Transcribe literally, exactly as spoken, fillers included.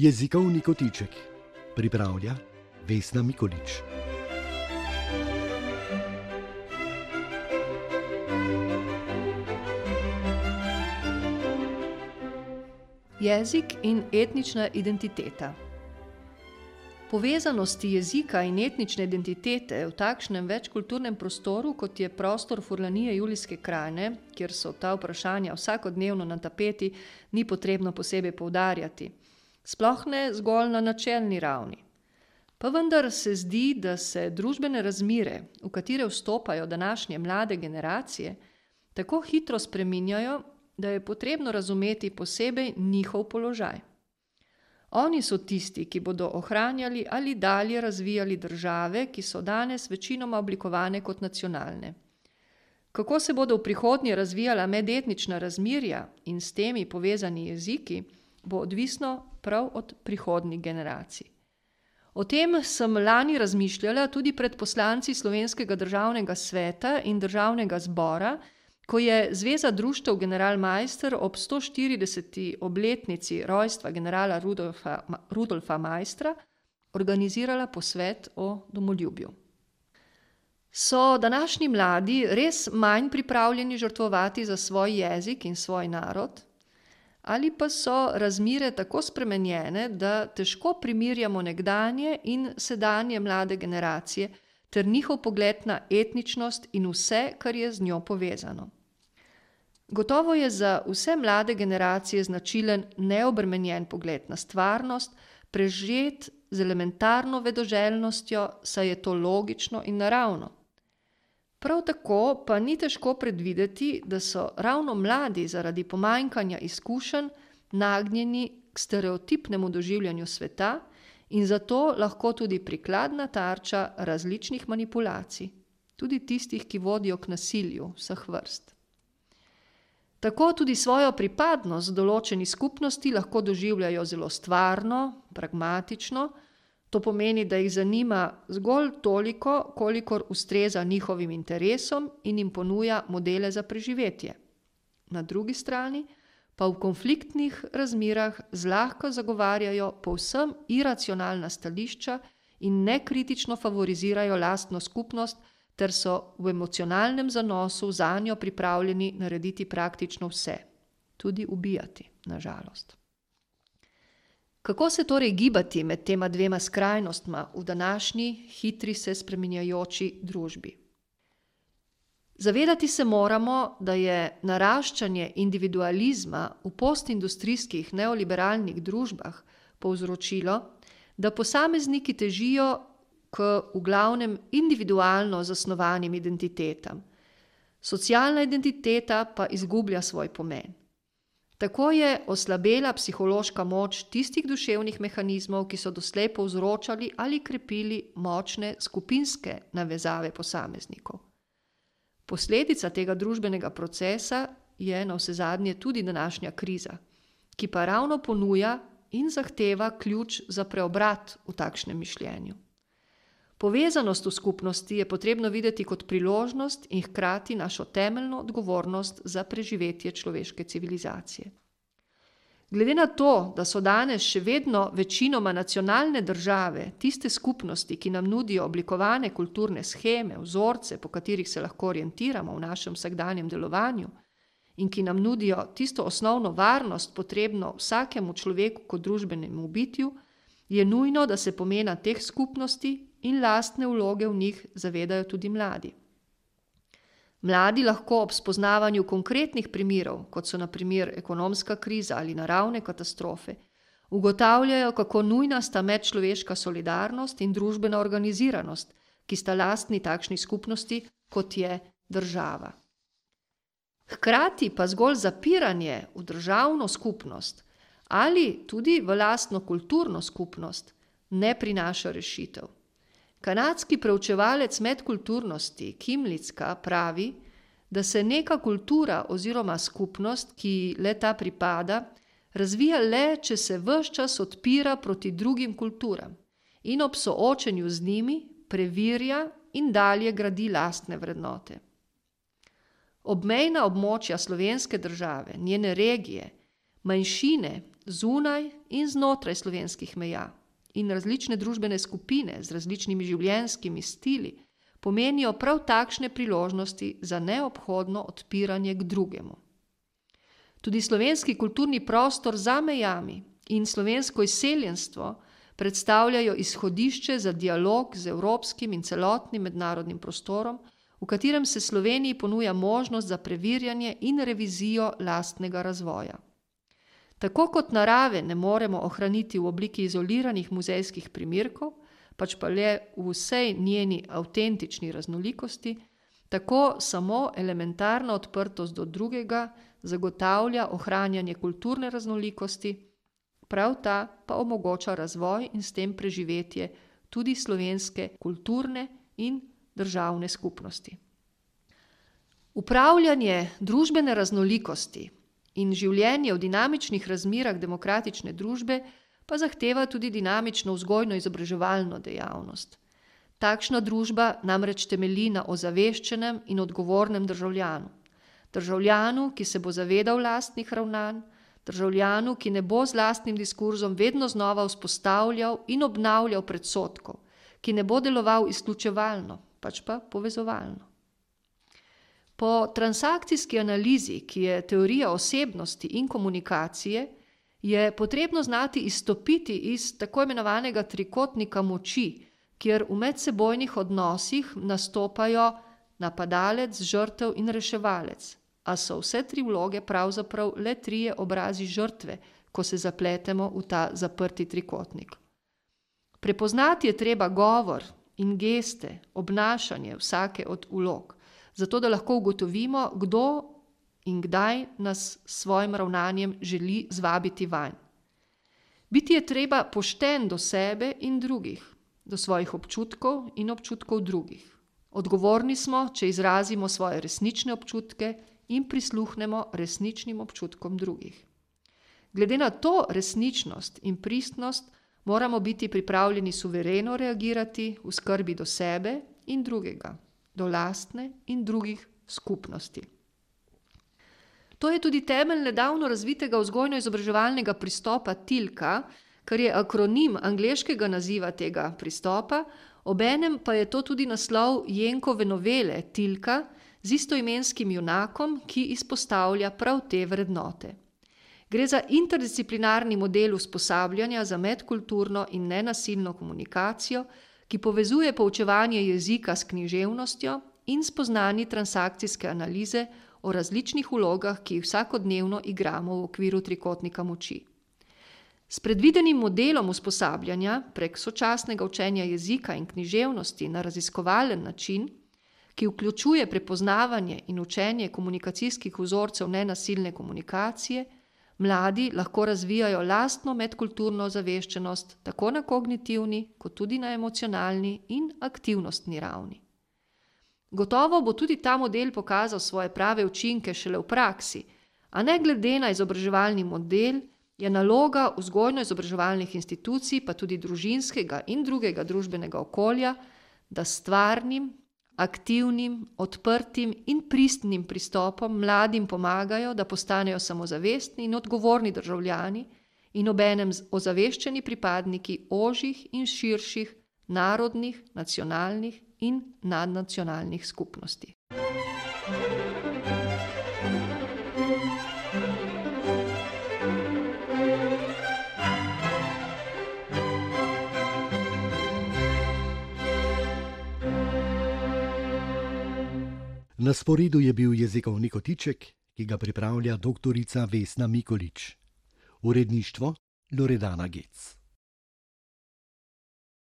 Jezikovni kotiček pripravlja Vesna Mikolič. Jezik in etnična identiteta. Povezanosti jezika in etnične identitete v takšnem večkulturnem prostoru, kot je prostor Furlanije Julijske krajine, kjer so ta vprašanja vsakodnevno na tapeti, ni potrebno posebej poudarjati. Sploh ne zgolj na načelni ravni. Pa vendar se zdi, da se družbene razmere, v katere vstopajo današnje mlade generacije, tako hitro spreminjajo, da je potrebno razumeti posebej njihov položaj. Oni so tisti, ki bodo ohranjali ali dalje razvijali države, ki so danes večinoma oblikovane kot nacionalne. Kako se bodo v prihodnje razvijala medetnična razmerja in s temi povezani jeziki, bo odvisno prav od prihodnjih generacij. O tem sem lani razmišljala tudi pred poslanci Slovenskega državnega sveta in državnega zbora, ko je Zveza društev Generalmeister ob sto štirideseti obletnici rojstva generala Rudolfa, Rudolfa Maistra organizirala posvet o domoljubju. So današnji mladi res manj pripravljeni žrtvovati za svoj jezik in svoj narod? Ali pa so razmere tako spremenjene, da težko primerjamo nekdanje in sedanje mlade generacije ter njihov pogled na etničnost in vse, kar je z njo povezano. Gotovo je za vse mlade generacije značilen neobremenjen pogled na stvarnost, prežet z elementarno vedoželjnostjo, saj je to logično in naravno. Prav tako pa ni težko predvideti, da so ravno mladi zaradi pomanjkanja izkušenj nagnjeni k stereotipnemu doživljanju sveta in zato lahko tudi prikladna tarča različnih manipulacij, tudi tistih, ki vodijo k nasilju vseh vrst. Tako tudi svojo pripadnost določeni skupnosti lahko doživljajo zelo stvarno, pragmatično, to pomeni, da jih zanima zgolj toliko, kolikor ustreza njihovim interesom in jim ponuja modele za preživetje. Na drugi strani pa v konfliktnih razmerah zlahka zagovarjajo povsem iracionalna stališča in nekritično favorizirajo lastno skupnost, ter so v emocionalnem zanosu zanjo pripravljeni narediti praktično vse, tudi ubijati, na žalost. Kako se torej gibati med tema dvema skrajnostma v današnji, hitri se spreminjajoči družbi? Zavedati se moramo, da je naraščanje individualizma v postindustrijskih neoliberalnih družbah povzročilo, da posamezniki težijo k v glavnem individualno zasnovanim identitetam. Socialna identiteta pa izgublja svoj pomen. Tako je oslabela psihološka moč tistih duševnih mehanizmov, ki so doslej povzročali ali krepili močne skupinske navezave posameznikov. Posledica tega družbenega procesa je navsezadnje tudi današnja kriza, ki pa ravno ponuja in zahteva ključ za preobrat v takšnem mišljenju. Povezanost v skupnosti je potrebno videti kot priložnost in hkrati našo temeljno odgovornost za preživetje človeške civilizacije. Glede na to, da so danes še vedno večinoma nacionalne države, tiste skupnosti, ki nam nudijo oblikovane kulturne sheme, vzorce, po katerih se lahko orientiramo v našem vsakdanjem delovanju in ki nam nudijo tisto osnovno varnost, potrebno vsakemu človeku kot družbenemu bitju, je nujno, da se pomena teh skupnosti in lastne vloge v njih zavedajo tudi mladi. Mladi lahko ob spoznavanju konkretnih primerov, kot so na primer ekonomska kriza ali naravne katastrofe, ugotavljajo, kako nujna sta medčloveška solidarnost in družbena organiziranost, ki sta lastni takšni skupnosti, kot je država. Hkrati pa zgolj zapiranje v državno skupnost ali tudi v lastno kulturno skupnost ne prinaša rešitev. Kanadski preučevalec medkulturnosti Kim Litzka pravi, da se neka kultura oziroma skupnost, ki le ta pripada, razvija le, če se ves čas odpira proti drugim kulturam in ob soočenju z njimi preverja in dalje gradi lastne vrednote. Obmejna območja slovenske države, njene regije, manjšine zunaj in znotraj slovenskih meja, in različne družbene skupine z različnimi življenjskimi stili pomenijo prav takšne priložnosti za neobhodno odpiranje k drugemu. Tudi slovenski kulturni prostor za mejami in slovensko izseljenstvo predstavljajo izhodišče za dialog z evropskim in celotnim mednarodnim prostorom, v katerem se Sloveniji ponuja možnost za preverjanje in revizijo lastnega razvoja. Tako kot narave ne moremo ohraniti v obliki izoliranih muzejskih primerkov, pač pa le v vsej njeni avtentični raznolikosti, tako samo elementarna odprtost do drugega zagotavlja ohranjanje kulturne raznolikosti, prav ta pa omogoča razvoj in s tem preživetje tudi slovenske kulturne in državne skupnosti. Upravljanje družbene raznolikosti in življenje v dinamičnih razmerah demokratične družbe pa zahteva tudi dinamično vzgojno-izobraževalno dejavnost. Takšna družba namreč temelji na ozaveščenem in odgovornem državljanu. Državljanu, ki se bo zavedal lastnih ravnanj, državljanu, ki ne bo z lastnim diskurzom vedno znova vzpostavljal in obnavljal predsodkov, ki ne bo deloval izključevalno, pač pa povezovalno. Po transakcijski analizi, ki je teorija osebnosti in komunikacije, je potrebno znati izstopiti iz tako imenovanega trikotnika moči, kjer v medsebojnih odnosih nastopajo napadalec, žrtev in reševalec, a so vse tri vloge pravzaprav le trije obrazi žrtve, ko se zapletemo v ta zaprti trikotnik. Prepoznati je treba govor in geste, obnašanje vsake od vlog, zato da lahko ugotovimo, kdo in kdaj nas s svojim ravnanjem želi zvabiti vanj. Biti je treba pošten do sebe in drugih, do svojih občutkov in občutkov drugih. Odgovorni smo, če izrazimo svoje resnične občutke in prisluhnemo resničnim občutkom drugih. Glede na to resničnost in pristnost moramo biti pripravljeni suvereno reagirati v skrbi do sebe in drugega, do lastne in drugih skupnosti. To je tudi temelj nedavno razvitega vzgojno-izobraževalnega pristopa Tilka, kar je akronim angleškega naziva tega pristopa, obenem pa je to tudi naslov Jenkove novele Tilka z istoimenskim junakom, ki izpostavlja prav te vrednote. Gre za interdisciplinarni model usposabljanja za medkulturno in nenasilno komunikacijo, ki povezuje poučevanje jezika s književnostjo in spoznani transakcijske analize o različnih vlogah, ki jih vsakodnevno igramo v okviru trikotnika moči. S predvidenim modelom usposabljanja prek sočasnega učenja jezika in književnosti na raziskovalen način, ki vključuje prepoznavanje in učenje komunikacijskih vzorcev nenasilne komunikacije, mladi lahko razvijajo lastno medkulturno ozaveščenost tako na kognitivni, kot tudi na emocionalni in aktivnostni ravni. Gotovo bo tudi ta model pokazal svoje prave učinke šele v praksi, a ne glede na izobraževalni model, je naloga vzgojno-izobraževalnih institucij, pa tudi družinskega in drugega družbenega okolja, da s stvarnim, aktivnim, odprtim in pristnim pristopom mladim pomagajo, da postanejo samozavestni in odgovorni državljani in obenem ozaveščeni pripadniki ožjih in širših narodnih, nacionalnih in nadnacionalnih skupnosti. Na sporedu je bil jezikovni kotiček, ki ga pripravlja doktorica Vesna Mikolič. Uredništvo Loredana Gec.